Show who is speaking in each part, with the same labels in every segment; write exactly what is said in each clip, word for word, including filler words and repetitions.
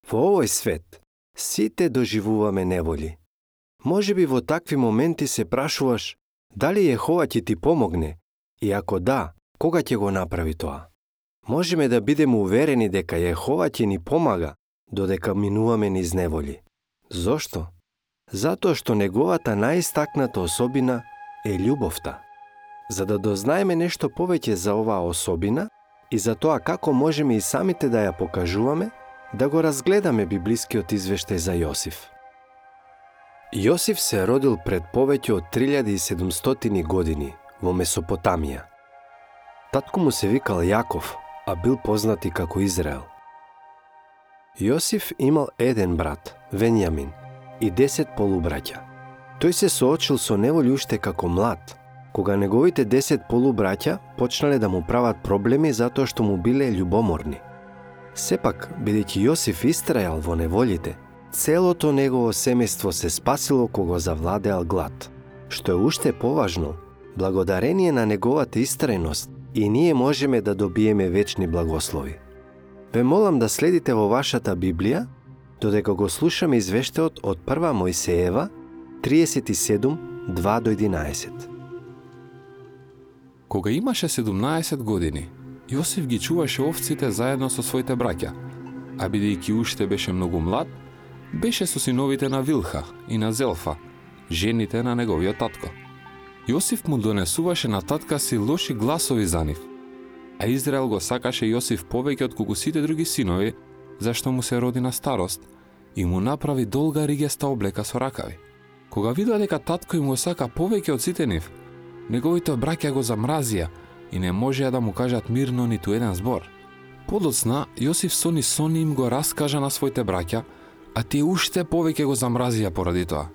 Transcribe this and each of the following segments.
Speaker 1: Во овој свет, сите доживуваме неволи. Може би во такви моменти се прашуваш дали Јехова ќе ти помогне и ако да, кога ќе го направи тоа? Можеме да бидеме уверени дека Јехова ќе ни помага додека минуваме низ неволи. Зошто? Затоа што неговата најистакната особина е љубовта. За да дознаеме нешто повеќе за оваа особина и за тоа како можеме и самите да ја покажуваме, да го разгледаме библискиот извештај за Јосиф. Јосиф се родил пред повеќе од три илјади и седумстотини години во Месопотамија. Татко му се викал Јаков, а бил познат и како Израел. Јосиф имал еден брат, Венјамин, и десет полубраќа. Тој се соочил со неволи уште како млад, кога неговите десет полубраќа почнале да му прават проблеми затоа што му биле љубоморни. Сепак, бидејќи Јосиф истрајал во неволите, целото негово семејство се спасило кога завладеал глад. Што е уште поважно, благодарение на неговата истрајност, и ние можеме да добиеме вечни благослови. Ве молам да следите во вашата Библија, додека го слушаме извештајот од прва Мојсеева, триесет и седум, два до единаесет.
Speaker 2: Кога имаше седумнаесет години, Јосиф ги чуваше овците заедно со своите браќа, а бидејќи уште беше многу млад, беше со синовите на Вилха и на Зелфа, жените на неговиот татко. Јосиф му донесуваше на татка си лоши гласови за нив, а Израел го сакаше Јосиф повеќе од колку сите други синови, зашто му се роди на старост и му направи долга ригеста облека со ракави. Кога видоа дека татко им го сака повеќе од сите нив, неговите браќа го замразија и не можеа да му кажат мирно ниту еден збор. Подоцна, Јосиф сони сони им го раскажа на своите браќа, а тие уште повеќе го замразија поради тоа.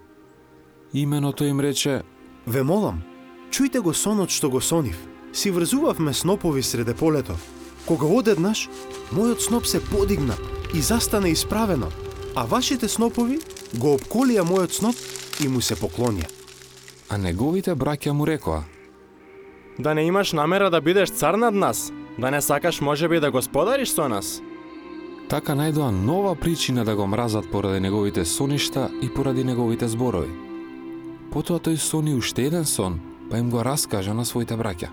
Speaker 2: Имено тој им рече:
Speaker 3: Ве молам, чујте го сонот што го сонив. Си врзувавме снопови среде полето. Кога одеднаш, мојот сноп се подигна и застана исправено, а вашите снопови го обколија мојот сноп и му се поклонија.
Speaker 2: А неговите браќа му рекоа:
Speaker 4: Да не имаш намера да бидеш цар над нас? Да не сакаш можеби да господариш со нас?
Speaker 2: Така најдоа нова причина да го мразат поради неговите соништа и поради неговите зборови. Потоа тој сони уште еден сон, па им го раскажа на своите браќа.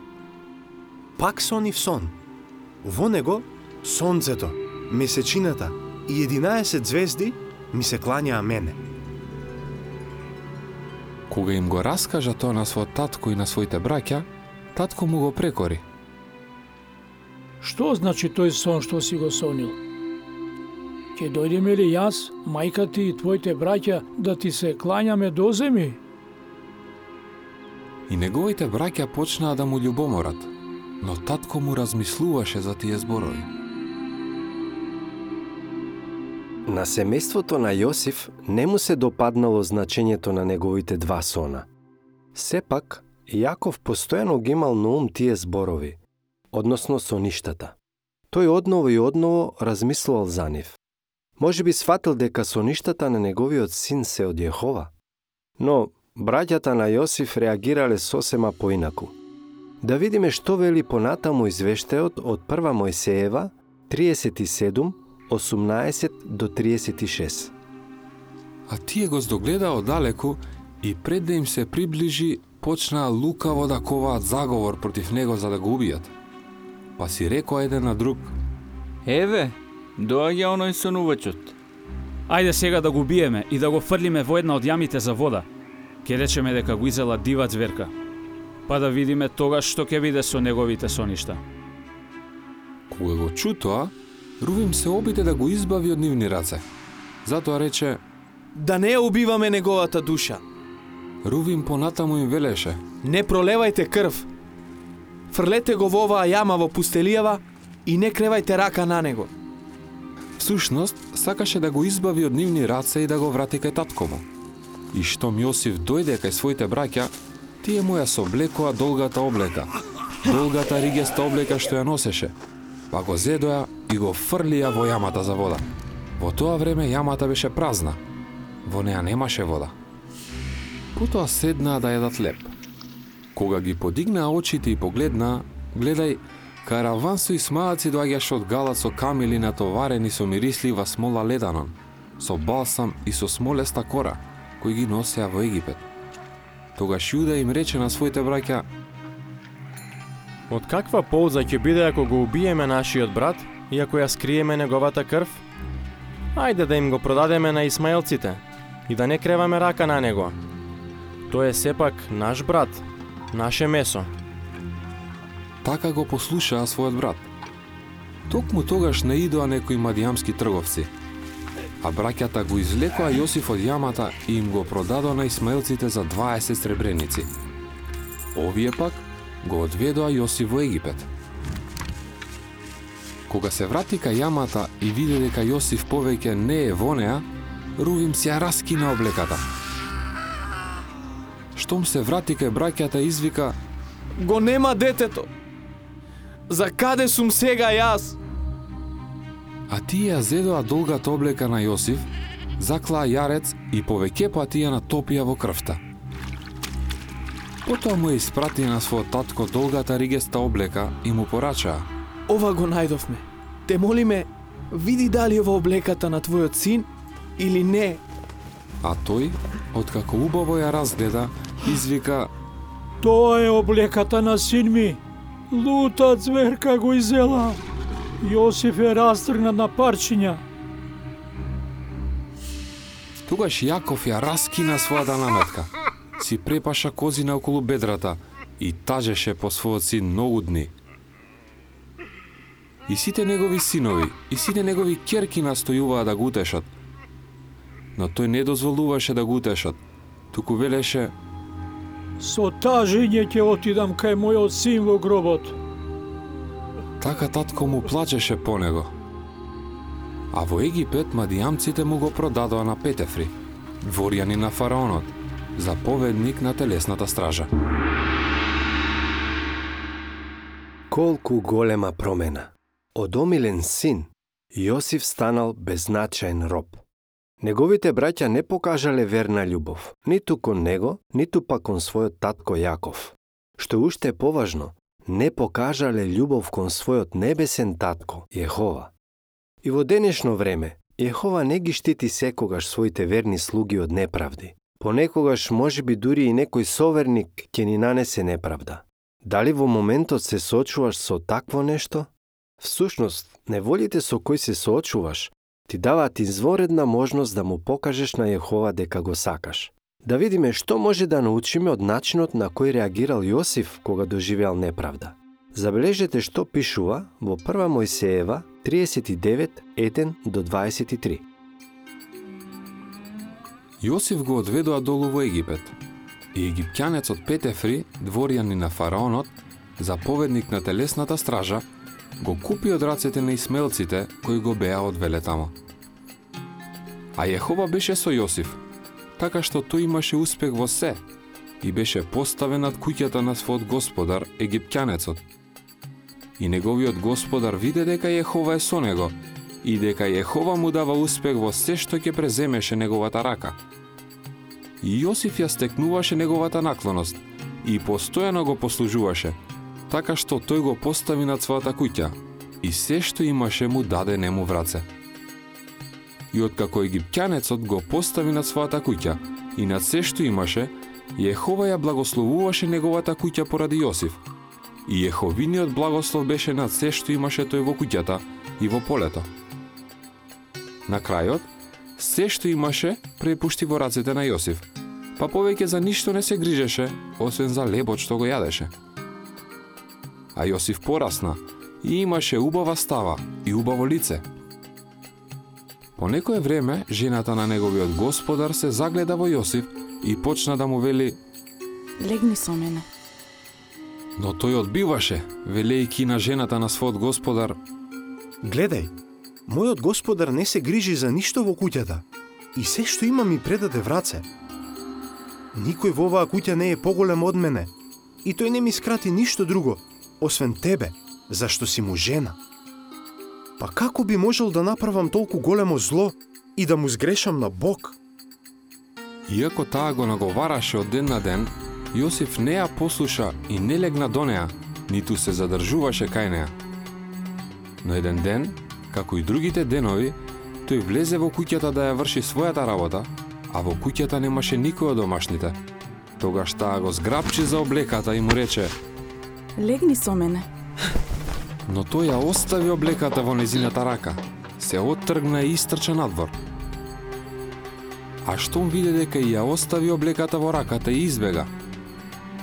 Speaker 3: Пак сонив сон. Во него сонцето, месечината и единаесет звезди ми се клањаа мене.
Speaker 2: Кога им го раскажа тоа на својот татко и на своите браќа, татко му го прекори.
Speaker 5: Што значи тој сон што си го сонил? Ќе дојдеме ли јас, мајка ти и твоите браќа да ти се клањаме до земи?
Speaker 2: И неговите браќа почнаа да му љубоморат, но татко му размислуваше за тие зборови.
Speaker 1: На семејството на Јосиф не му се допаднало значењето на неговите два сона. Сепак, Јаков постојано ги имал на ум тие зборови, односно соништата. Тој одново и одново размислувал за нив. Може би сфатил дека соништата на неговиот син се од Јехова, но браќата на Јосиф реагирале сосема поинаку. Да видиме што вели понатаму извештајот од прва Мојсеева, триесет и седум, осумнаесет до триесет и шест.
Speaker 2: А тие го здогледаа оддалеку и пред да им се приближи, почнаа лукаво да коваат заговор против него за да го убијат. Па си рекоа еден на друг:
Speaker 6: Еве, доаѓа оној сонувачот.
Speaker 7: Ајде сега да го убиеме и да го фрлиме во една од јамите за вода. Ке речеме дека го изела дива зверка. Па да видиме тогаш што ќе биде со неговите соништа.
Speaker 2: Кога го чу тоа, Рувим се обиде да го избави од нивни раце. Затоа рече:
Speaker 4: Да не ја убиваме неговата душа.
Speaker 2: Рувим понатаму им велеше:
Speaker 4: Не пролевајте крв. Фрлете го во оваа јама во пустелијава и не кревајте рака на него.
Speaker 2: Всушност, сакаше да го избави од нивни раце и да го врати кај татко му. И штом Јосиф дојде кај своите браќа, тие му ја соблекоа долгата облека, долгата ригеста облека што ја носеше, па го зедоа и го фрлија во јамата за вода. Во тоа време јамата беше празна, во неа немаше вода. Потоа седнаа да јадат леб. Кога ги подигнаа очите и погледнаа, гледај, Караван со исмаелци доаѓаше од Галат со камили натоварени со мирислива смола леданон, со балсам и со смолеста кора, кои ги носеа во Египет. Тогаш Јуда им рече на своите браќа:
Speaker 8: Од каква полза ќе биде ако го убиеме нашиот брат и ако ја скриеме неговата крв? Ајде да им го продадеме на исмаелците и да не креваме рака на него. Тој е сепак наш брат, наше месо.
Speaker 2: Така го послушаа својот брат. Токму тогаш наидоа некои мадијамски трговци, а браќата го извлекоа Јосиф од јамата и им го продадоа на исмаелците за дваесет сребреници. Овие пак го одведоа Јосиф во Египет. Кога се врати кај јамата и виде дека Јосиф повеќе не е во неа, Рувим си ја раскина облеката. Штом се врати кај браќата, извика:
Speaker 4: Го нема детето. За каде сум сега јас?
Speaker 2: А тие ја зедоа долгата облека на Јосиф, заклаа јарец и повеќе пати ја натопија во крвта. Потоа му ја испратија на својот татко долгата ригеста облека и му порачаа:
Speaker 4: Ова го најдовме. Те молиме, види дали ова облеката на твојот син или не.
Speaker 2: А тој, откако убаво ја разгледа, извика:
Speaker 5: Тоа е облеката на син ми. Лута зверка го изела. Јосиф е растргнат на парчиња.
Speaker 2: Тогаш Јаков ја раскина својата наметка, си препаша козина околу бедрата и тажеше по својот син многу дни. И сите негови синови, и сите негови ќерки настојуваа да го утешат. Но тој не дозволуваше да го утешат, туку велеше:
Speaker 5: Со тажење ќе отидам кај мојот син во гробот.
Speaker 2: Така татко му плачеше по него. А во Египет мадијамците му го продадоа на Петефри, дворјани на фараонот, заповедник на телесната стража.
Speaker 1: Колку голема промена! Од омилен син, Јосиф станал беззначаен роб. Неговите браќа не покажале верна љубов, ниту кон него, ниту пак кон својот татко Јаков. Што уште е поважно, не покажале љубов кон својот небесен татко, Јехова. И во денешно време, Јехова не ги штити секогаш своите верни слуги од неправди. Понекогаш можеби дури и некој соверник ќе ни нанесе неправда. Дали во моментот се соочуваш со такво нешто? Всушност, неволите со кои се соочуваш ти даваат изворедна можност да му покажеш на Јехова дека го сакаш. Да видиме што може да научиме од начинот на кој реагирал Јосиф кога доживеал неправда. Забележете што пишува во прва Мојсеева триесет и девет, еден до дваесет и три.
Speaker 2: Јосиф го одведоа долу во Египет, и египтјанецот Петефри, дворјани на фараонот, заповедник на телесната стража, го купи од рацете на исмаелците кои го беа одвеле тамо. А Јехова беше со Јосиф, така што тој имаше успех во се и беше поставен над куќата на својот господар, египтјанецот. И неговиот господар виде дека Јехова е со него и дека Јехова му дава успех во се што ќе преземеше неговата рака. И Јосиф ја стекнуваше неговата наклоност и постојано го послужуваше, така што тој го постави над својата куќа и се што имаше му даде нему в раце. И откако египтјанецот го постави над својата куќа и над се што имаше, Јехова ја благословуваше неговата куќа поради Јосиф. И Јеховиниот благослов беше над се што имаше тој во куќата и во полето. На крајот, се што имаше препушти во рацете на Јосиф, па повеќе за ништо не се грижеше, освен за лебот што го јадеше. А Јосиф порасна и имаше убава става и убаво лице. По некое време, жената на неговиот господар се загледа во Јосиф и почна да му вели:
Speaker 9: Легни со мене.
Speaker 2: Но тој одбиваше, велејќи на жената на својот господар:
Speaker 3: Гледај, мојот господар не се грижи за ништо во куќата и се што има ми предаде в раце. Никој во оваа куќа не е поголем од мене и тој не ми скрати ништо друго, освен тебе, зашто си му жена. Па како би можел да направам толку големо зло и да му сгрешам на Бог?
Speaker 2: Иако таа го наговараше од ден на ден, Јосиф не ја послуша и не легна до неа, ниту се задржуваше кај неа. Но еден ден, како и другите денови, тој влезе во куќата да ја врши својата работа, а во куќата немаше никој од домашните. Тогаш таа го зграбчи за облеката и му рече:
Speaker 9: Легни со мене.
Speaker 2: Но тој ја остави облеката во незината рака, се оттргна и истрча надвор. А штом виде дека и ја остави облеката во раката и избега,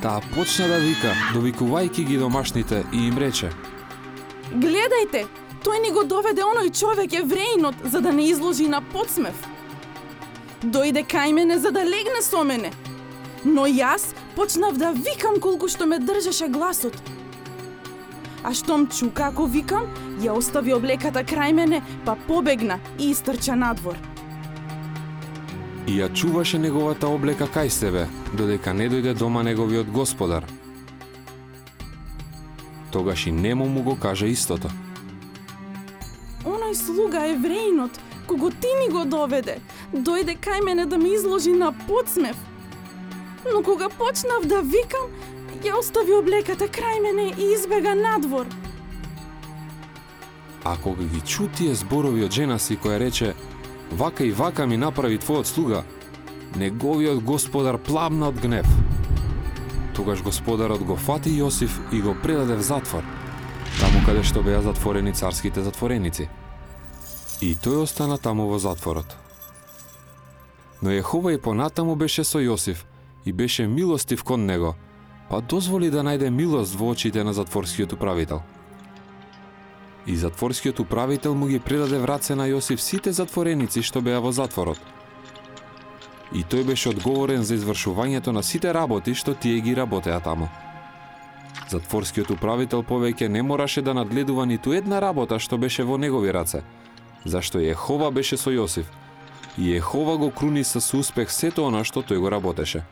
Speaker 2: таа почна да вика, довикувајќи ги домашните, и им рече:
Speaker 9: Гледајте, тој ни го доведе оној човек евреинот за да не изложи на подсмев. Дојде кај мене за да легне со мене, но јас почнав да викам колку што ме држеше гласот. А штом чу како викам, ја остави облеката крај мене, па побегна и истрча надвор.
Speaker 2: И ја чуваше неговата облека кај себе, додека не дојде дома неговиот господар. Тогаш и нему му го кажа истото.
Speaker 9: Оној слуга евреинот, кого ти ми го доведе, дојде кај мене да ме изложи на подсмев. Но кога почнав да викам, ја остави облеката крај мене и избега надвор.
Speaker 2: А кога ги чу тие зборови од жена си која рече: Вака и вака ми направи твојот слуга, неговиот господар пламна од гнев. Тогаш господарот го фати Јосиф и го предаде в затвор, таму каде што беа затворени царските затвореници. И тој остана таму во затворот. Но Јехова и понатаму беше со Јосиф и беше милостив кон него, па дозволи да најде милост во очите на затворскиот управител. И затворскиот управител му ги предаде в раце на Јосиф сите затвореници што беа во затворот. И тој беше одговорен за извршувањето на сите работи што тие ги работеа таму. Затворскиот управител повеќе не мораше да надгледува ниту една работа што беше во негови раце, зашто Јехова беше со Јосиф, и Јехова го круни со успех сето она што тој го работеше.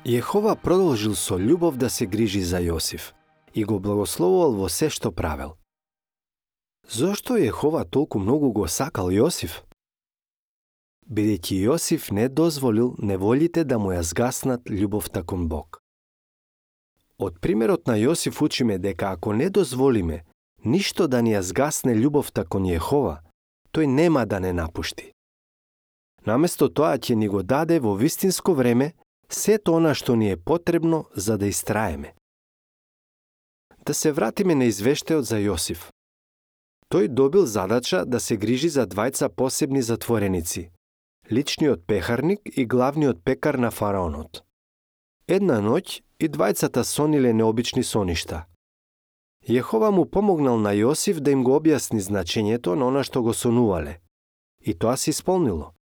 Speaker 1: Јехова продолжил со љубов да се грижи за Јосиф и го благословувал во се што правел. Зошто Јехова толку многу го сакал Јосиф? Бидејќи Јосиф не дозволил неволите да му ја згаснат љубовта кон Бог. Од примерот на Јосиф учиме дека ако не дозволиме ништо да ни ја згасне љубовта кон Јехова, тој нема да не напушти. Наместо тоа ќе ни го даде во вистинско време сето она што ни е потребно за да истраеме. Да се вратиме на извештајот за Јосиф. Тој добил задача да се грижи за двајца посебни затвореници, личниот пехарник и главниот пекар на фараонот. Една ноќ и двајцата сониле необични соништа. Јехова му помогнал на Јосиф да им го објасни значењето на она што го сонувале. И тоа се исполнило.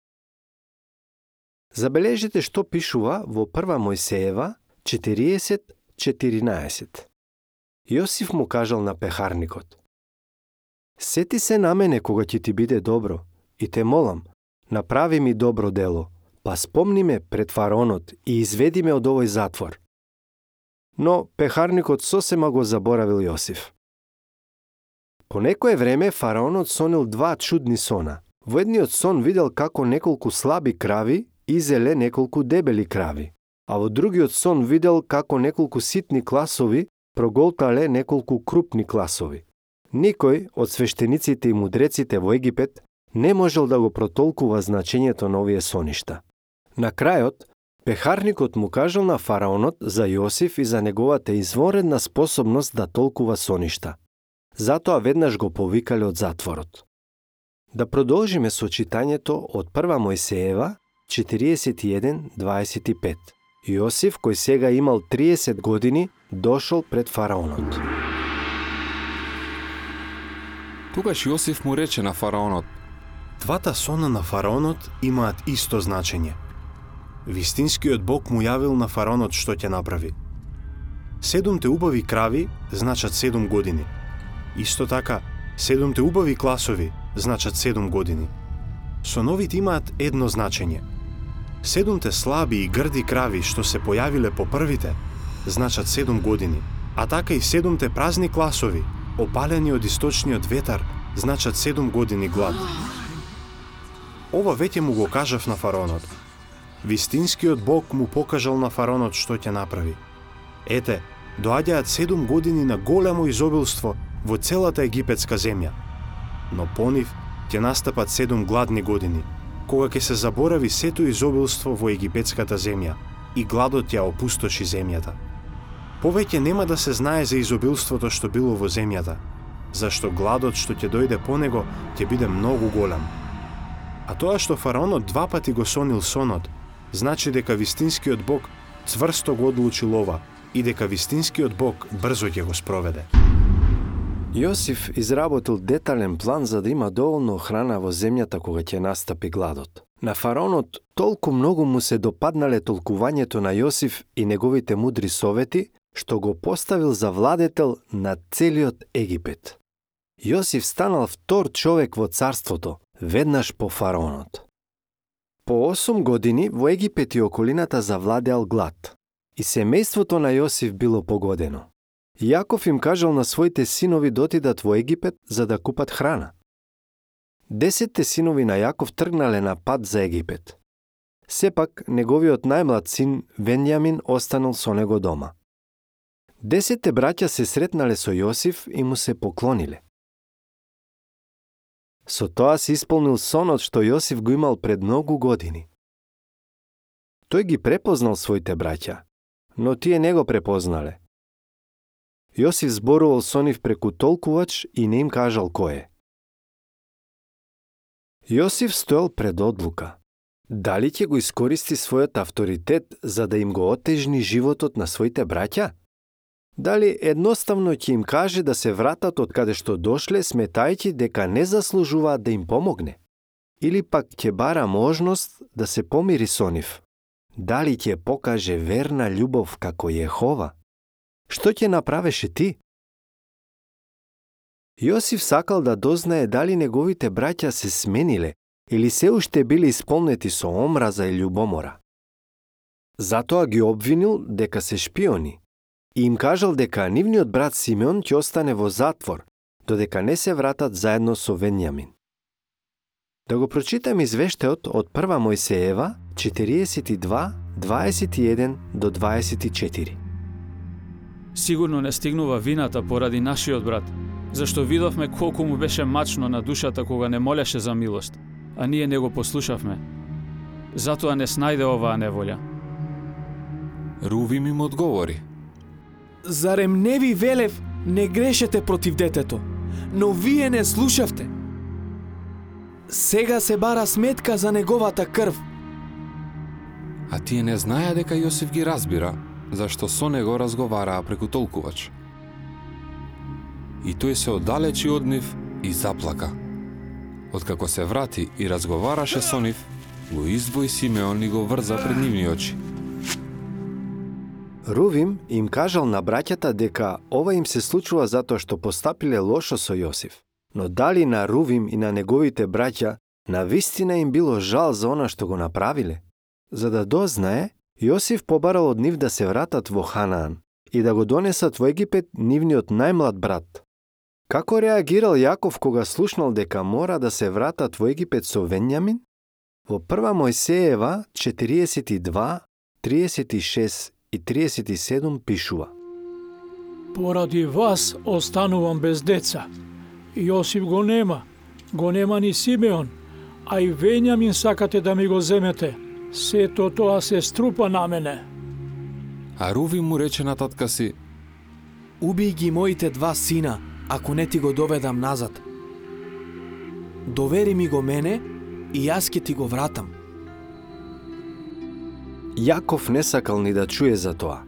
Speaker 1: Забележите што пишува во прва Мојсеева четириесет четиринаесет. Јосиф му кажал на пехарникот: Сети се на мене кога ќе ти биде добро и те молам, направи ми добро дело, па спомни ме пред фараонот и изведи ме од овој затвор. Но пехарникот сосема го заборавил Јосиф. По некое време фараонот сонил два чудни сона. Во едниот сон видел како неколку слаби крави изеле неколку дебели крави, а во другиот сон видел како неколку ситни класови проголтале неколку крупни класови. Никој од свештениците и мудреците во Египет не можел да го протолкува значењето на овие соништа. На крајот, пехарникот му кажал на фараонот за Јосиф и за неговата изворедна способност да толкува соништа. Затоа веднаш го повикале од затворот. Да продолжиме со читањето од прва Мојсеева четириесет и еден дваесет и пет. Јосиф, кој сега имал триесет години, дошол пред фараонот.
Speaker 2: Тогаш Јосиф му рече на фараонот:
Speaker 3: Двата сона на фараонот имаат исто значење. Вистинскиот Бог му јавил на фараонот што ќе направи. Седумте убави крави значат седум години. Исто така, седумте убави класови значат седум години. Соновите имаат едно значење. Седумте слаби и грди крави што се појавиле по првите значат седум години, а така и седумте празни класови, опалени од источниот ветар, значат седум години глад. Ова веќе му го кажав на фараонот. Вистинскиот Бог му покажал на фараонот што ќе направи. Ете, доаѓаат седум години на големо изобилство во целата египетска земја. Но по нив ќе настапат седум гладни години, кога ќе се заборави сето изобилство во египетската земја и гладот ја опустоши земјата. Повеќе нема да се знае за изобилството што било во земјата, зашто гладот што ќе дојде по него ќе биде многу голем. А тоа што фараонот два пати го сонил сонот, значи дека вистинскиот Бог цврсто го одлучил ова и дека вистинскиот Бог брзо ќе го спроведе.
Speaker 1: Јосиф изработил детален план за да има доволно храна во земјата кога ќе настапи гладот. На фараонот толку многу му се допаднале толкувањето на Јосиф и неговите мудри совети, што го поставил за владетел на целиот Египет. Јосиф станал втор човек во царството, веднаш по фараонот. По осум години во Египет и околината завладеал глад, и семејството на Јосиф било погодено. Јаков им кажал на своите синови да отидат во Египет за да купат храна. Десетте синови на Јаков тргнале на пат за Египет. Сепак, неговиот најмлад син Венјамин останал со него дома. Десетте браќа се сретнале со Јосиф и му се поклониле. Со тоа се исполнил сонот што Јосиф го имал пред многу години. Тој ги препознал своите браќа, но тие не го препознале. Јосиф зборувал со нив преку толкувач и не им кажал кој е. Јосиф стоел пред одлука. Дали ќе го искористи својот авторитет за да им го отежни животот на своите браќа? Дали едноставно ќе им каже да се вратат од каде што дошле, сметајќи дека не заслужуваат да им помогне? Или пак ќе бара можност да се помири со нив? Дали ќе покаже верна љубов како Јехова? Што ќе направеше ти? Јосиф сакал да дознае дали неговите браќа се смениле или се уште били исполнети со омраза и љубомора. Затоа ги обвинил дека се шпиони и им кажал дека нивниот брат Симеон ќе остане во затвор, додека не се вратат заедно со Венјамин. Да го прочитам извештајот од прва Мојсеева четириесет и два, дваесет и еден до дваесет и четири.
Speaker 7: Сигурно не стигнува вината поради нашиот брат, зашто видовме колку му беше мачно на душата кога не молеше за милост, а ние не го послушавме. Затоа не снајде оваа неволја.
Speaker 2: Рувим им одговори.
Speaker 4: Зарем не ви велев, не грешете против детето, но вие не слушавте. Сега се бара сметка за неговата крв.
Speaker 2: А тие не знаеа дека Јосиф ги разбира, зашто со него разговараа преку толкувач. И тој се оддалечи од нив и заплака. Откако се врати и разговараше со нив, го издвои Симеон и го врза пред нивни очи.
Speaker 1: Рувим им кажал на браќата дека ова им се случува затоа што постапиле лошо со Јосиф. Но дали на Рувим и на неговите браќа навистина им било жал за она што го направиле? За да дознае, Јосиф побарал од нив да се вратат во Ханаан и да го донесат во Египет нивниот најмлад брат. Како реагирал Јаков кога слушнал дека мора да се вратат во Египет со Венјамин? Во прва Мојсеева четириесет и два, триесет и шест и триесет и седум пишува:
Speaker 5: Поради вас останувам без деца. Јосиф го нема, го нема ни Симеон, а и Венјамин сакате да ми го земете. Сето тоа се струпа на мене.
Speaker 2: А Руви му рече на татка си:
Speaker 4: Убий ги моите два сина, ако не ти го доведам назад. Довери ми го мене и јас ќе ти го вратам.
Speaker 1: Јаков не сакал ни да чуе за тоа.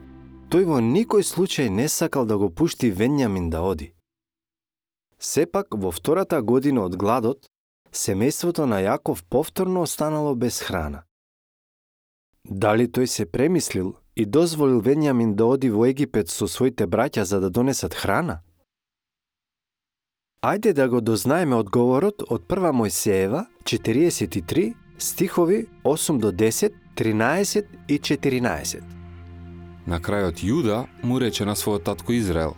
Speaker 1: Тој во никој случај не сакал да го пушти Венјамин да оди. Сепак, во втората година од гладот, семејството на Јаков повторно останало без храна. Дали тој се премислил и дозволил Венјамин да оди во Египет со своите браќа за да донесат храна? Ајде да го дознаеме одговорот од прва Мојсеева четириесет и три, стихови осум до десет, тринаесет и четиринаесет.
Speaker 2: На крајот Јуда му рече на својот татко Израел: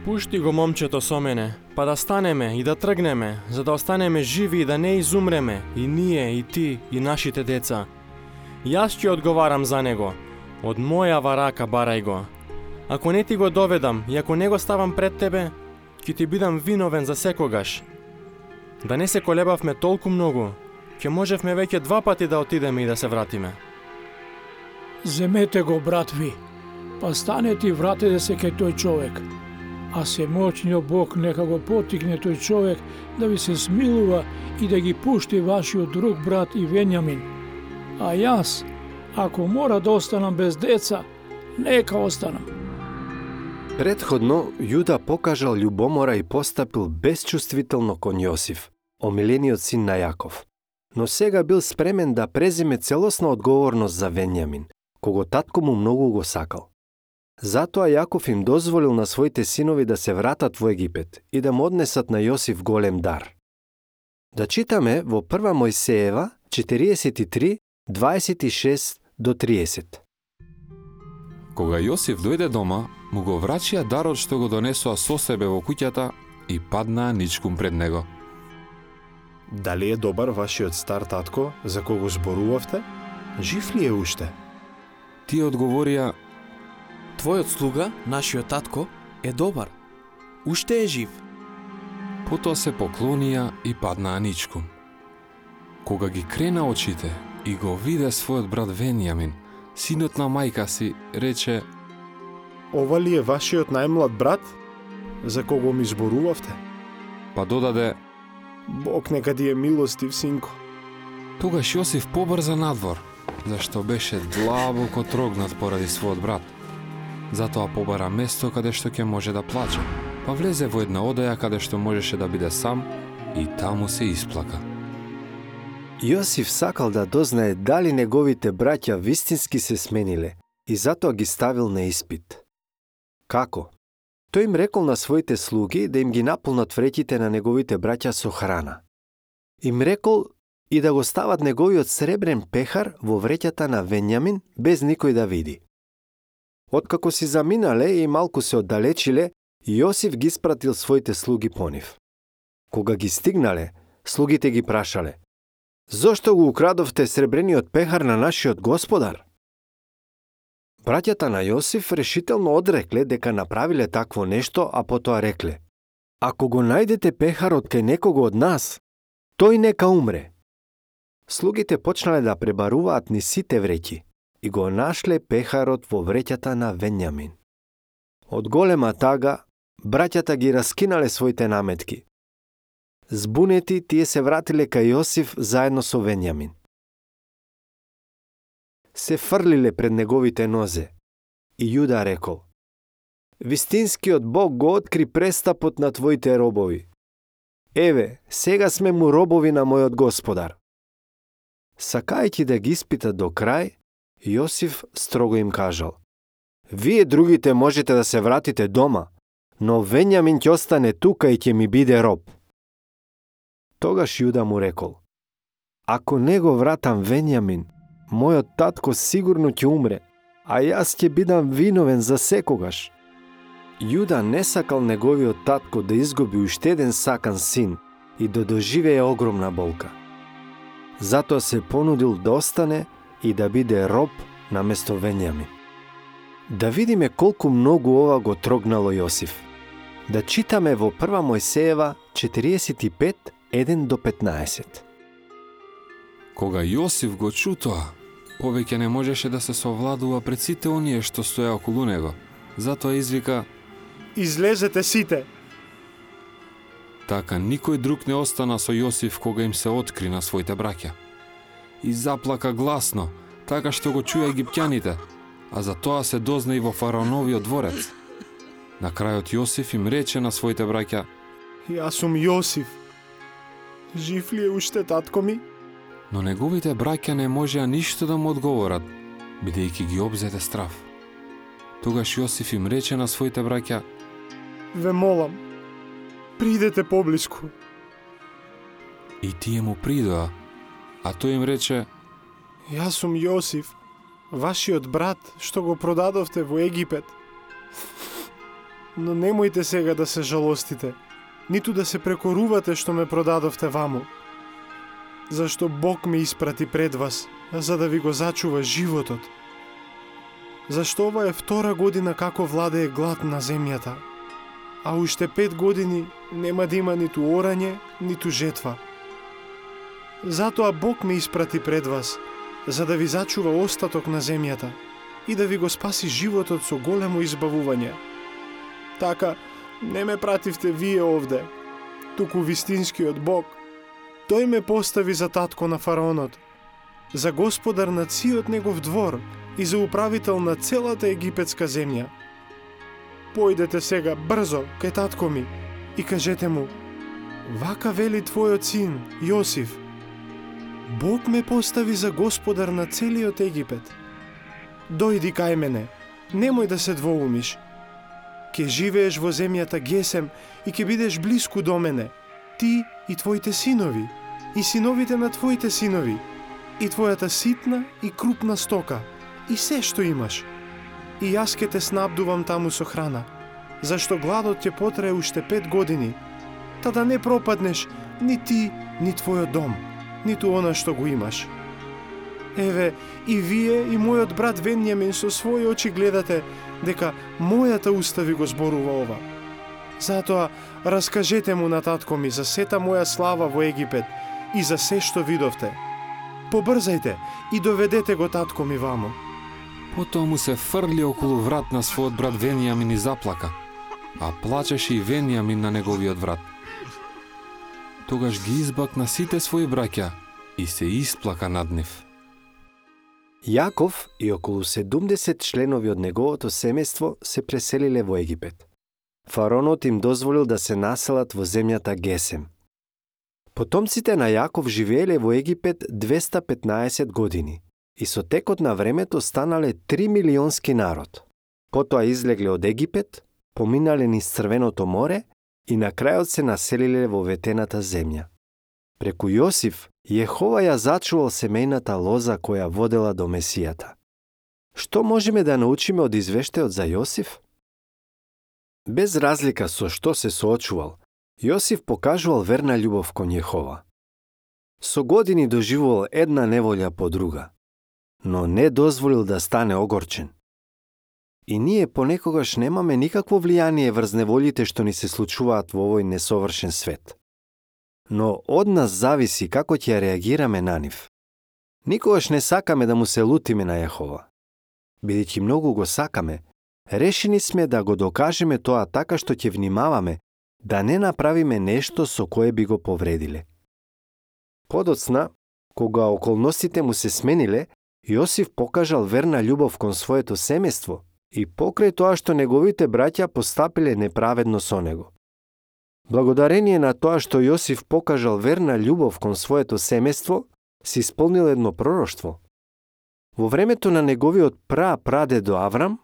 Speaker 8: Пушти го момчето со мене, па да станеме и да тргнеме, за да останеме живи и да не изумреме, и ние, и ти, и нашите деца. Јас ќе одговарам за него. Од мојава рака барај го. Ако не ти го доведам и ако не го ставам пред тебе, ќе ти бидам виновен за секогаш. Да не се колебавме толку многу, ќе можевме веќе два пати да отидеме и да се вратиме.
Speaker 5: Земете го, брат ви, па станете и вратете се кај тој човек. А семоќниот Бог нека го потикне тој човек да ви се смилува и да ги пушти вашиот друг брат и Венјамин. А јас, ако мора да останам без деца, нека останам.
Speaker 1: Предходно, Јуда покажал љубомора и постапил безчувствително кон Јосиф, омилениот син на Јаков. Но сега бил спремен да преземе целосна одговорност за Венјамин, кого татко му многу го сакал. Затоа Јаков им дозволил на своите синови да се вратат во Египет и да му однесат на Јосиф голем дар. Да читаме во прва Мојсеева четириесет и три, дваесет и шест до триесет.
Speaker 2: Кога Јосиф дојде дома, му го врачија дарот што го донесоа со себе во куќата и паднаа ничкум пред него.
Speaker 3: Дали е добар вашиот стар татко, за кого зборувавте? Жив ли е уште?
Speaker 2: Тие одговорија:
Speaker 4: Твојот слуга, нашиот татко, е добар. Уште е жив.
Speaker 2: Потоа се поклонија и паднаа ничкум. Кога ги крена очите и го виде својот брат Венјамин, синот на мајка си, рече:
Speaker 3: Ова ли е вашиот најмлад брат, за кого ми зборувавте?
Speaker 2: Па додаде:
Speaker 3: Бог нека ти е милостив, синко.
Speaker 2: Тогаш Јосиф побрза надвор, зашто беше длабоко трогнат поради својот брат. Затоа побара место каде што ќе може да плаче, па влезе во една одеја каде што можеше да биде сам и таму се исплака.
Speaker 1: Јосиф сакал да дознае дали неговите браќа вистински се смениле и затоа ги ставил на испит. Како? Тој им рекол на своите слуги да им ги наполнат вреќите на неговите браќа со храна. Им рекол и да го стават неговиот сребрен пехар во вреќата на Венјамин без никој да види. Откако си заминале и малку се оддалечиле, Јосиф ги спратил своите слуги по нив. Кога ги стигнале, слугите ги прашале: Зошто го украдовте сребрениот пехар на нашиот господар? Браќата на Јосиф решително одрекле дека направиле такво нешто, а потоа рекле: Ако го најдете пехарот кај некого од нас, тој нека умре. Слугите почнале да пребаруваат ни сите вреќи и го нашле пехарот во вреќата на Венјамин. Од голема тага, браќата ги раскинале своите наметки. Збунети, тие се вратиле кај Јосиф заедно со Венјамин. Се фрлиле пред неговите нозе и Јуда рекол: Вистинскиот Бог го откри престапот на твоите робови. Еве, сега сме му робови на мојот господар. Сакајќи да ги испита до крај, Јосиф строго им кажал: Вие другите можете да се вратите дома, но Венјамин ќе остане тука и ќе ми биде роб. Тогаш Јуда му рекол: Ако не го вратам Венјамин, мојот татко сигурно ќе умре, а јас ќе бидам виновен за секогаш. Јуда не сакал неговиот татко да изгуби уште еден сакан син и да доживее огромна болка. Затоа се понудил да остане и да биде роб наместо Венјамин. Да видиме колку многу ова го трогнало Јосиф. Да читаме во прва Мојсеева четириесет и пет, еден до петнаесет.
Speaker 2: Кога Јосиф го чу тоа, повеќе не можеше да се совладува пред сите оние што стоја околу него. Затоа извика:
Speaker 3: Излезете сите!
Speaker 2: Така никој друг не остана со Јосиф кога им се откри на своите браќа. И заплака гласно, така што го чуја египтјаните, а за тоа се дозна и во фараоновиот дворец. На крајот Јосиф им рече на своите браќа:
Speaker 3: Јас сум Јосиф. Жив ли е уште татко ми?
Speaker 2: Но неговите браќа не можеа ништо да му одговорат, бидејќи ги обзете страв. Тогаш Јосиф им рече на своите браќа:
Speaker 3: Ве молам, придете поблиску.
Speaker 2: И тие му придоа, а тој им рече:
Speaker 3: Јас сум Јосиф, вашиот брат, што го продадовте во Египет. Но немојте сега да се жалостите, ниту да се прекорувате што ме продадовте ваму. Зашто Бог ме испрати пред вас, за да ви го зачува животот. зашто ова е втора година како владее глад на земјата, а уште пет години нема да има нитуорање, ниту жетва. Затоа Бог ме испрати пред вас, за да ви зачува остаток на земјата и да ви го спаси животот со големо избавување. Така, не ме пративте вие овде, туку вистинскиот Бог. Тој ме постави за татко на фараонот, за господар на циот негов двор и за управител на целата египетска земја. Појдете сега брзо кај татко ми и кажете му: вака вели твојот син Јосиф, Бог ме постави за господар на целиот Египет. Дојди кај мене, немој да се двоумиш. Ке живееш во земјата Гесем и ке бидеш блиску до мене, ти и твоите синови, и синовите на твоите синови, и твојата ситна и крупна стока, и се што имаш. И јас ке те снабдувам таму со храна, зашто гладот ќе потрае уште пет години, та да не пропаднеш ни ти, ни твојот дом, ниту она што го имаш. Еве, и вие и мојот брат Венјамин со своји очи гледате дека мојата уста ви го зборува ова. Затоа, раскажете му на татко ми за сета моја слава во Египет и за се што видовте. Побрзајте и доведете го татко ми вамо.
Speaker 2: Потоа му се фрли околу врат на својот брат Венијамин и заплака, а плачеше и Венијамин на неговиот врат. Тогаш ги избакна сите своји браќа и се исплака над нив.
Speaker 1: Јаков и околу седумдесет членови од неговото семејство се преселиле во Египет. Фараонот им дозволил да се населат во земјата Гесем. Потомците на Јаков живееле во Египет двеста петнаесет години и со текот на времето станале три милионски народ. Потоа излегле од Египет, поминале низ Црвеното море и на крајот се населиле во ветената земја. Преку Јосиф, Јехова ја зачувал семејната лоза која водела до Месијата. Што можеме да научиме од извештајот за Јосиф? Без разлика со што се соочувал, Јосиф покажувал верна љубов кон Јехова. Со години доживувал една неволја по друга, но не дозволил да стане огорчен. И ние понекогаш немаме никакво влијание врз неволите што ни се случуваат во овој несовршен свет. Но од нас зависи како ќе реагираме на нив. Никогаш не сакаме да му се лутиме на Јехова. Бидејќи многу го сакаме, решени сме да го докажеме тоа така што ќе внимаваме да не направиме нешто со кое би го повредиле. Подоцна, кога околностите му се смениле, Јосиф покажал верна љубов кон своето семејство и покрај тоа што неговите браќа постапиле неправедно со него. Благодарение на тоа што Јосиф покажал верна љубов кон своето семејство, се исполнил едно пророштво. Во времето на неговиот пра-прадедо Аврам,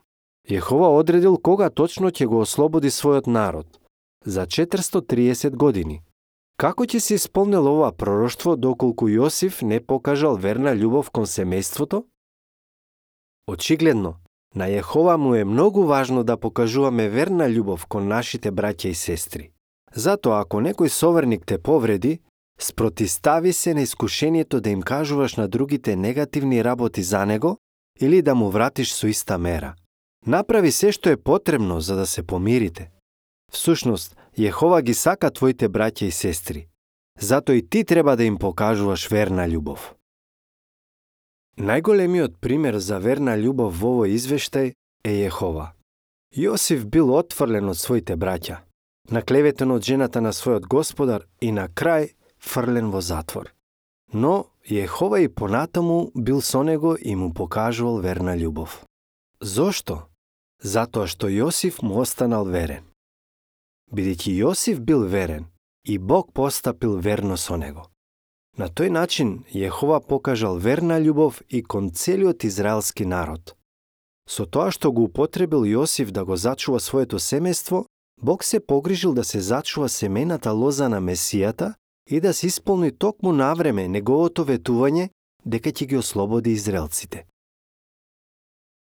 Speaker 1: Јехова одредил кога точно ќе го ослободи својот народ, за четиристотини и триесет години. Како ќе се исполнил ова пророштво доколку Јосиф не покажал верна љубов кон семејството? Очигледно, на Јехова му е многу важно да покажуваме верна љубов кон нашите браќа и сестри. Затоа, ако некој соверник те повреди, спротистави се на искушението да им кажуваш на другите негативни работи за него или да му вратиш со иста мера. Направи се што е потребно за да се помирите. Всушност, Јехова ги сака твоите браќа и сестри. Затоа и ти треба да им покажуваш верна љубов. Најголемиот пример за верна љубов во овој извештај е Јехова. Јосиф бил отфрлен од своите браќа, наклеветен од жената на својот господар и на крај фрлен во затвор. Но Јехова и понатаму бил со него и му покажувал верна љубов. Зошто? Затоа што Јосиф му останал верен. Бидејќи Јосиф бил верен, и Бог постапил верно со него. На тој начин Јехова покажал верна љубов и кон целиот израелски народ. Со тоа што го употребил Јосиф да го зачува своето семејство, Бог се погрижил да се зачува семејната лоза на Месијата и да се исполни токму навреме неговото ветување дека ќе ги ослободи израелците.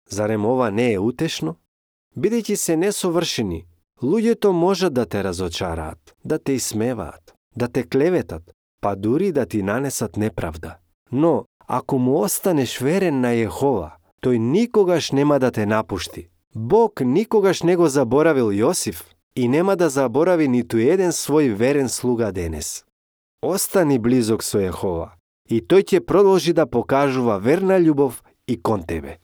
Speaker 1: Зарем ова не е утешно? Бидејќи се несовршени, луѓето можат да те разочараат, да те исмеваат, да те клеветат, па дури да ти нанесат неправда. Но, ако му останеш верен на Јехова, Тој никогаш нема да те напушти. Бог никогаш не го заборавил Јосиф и нема да заборави ниту еден свој верен слуга денес. Остани близок со Јехова и тој ќе продолжи да покажува верна љубов и кон тебе.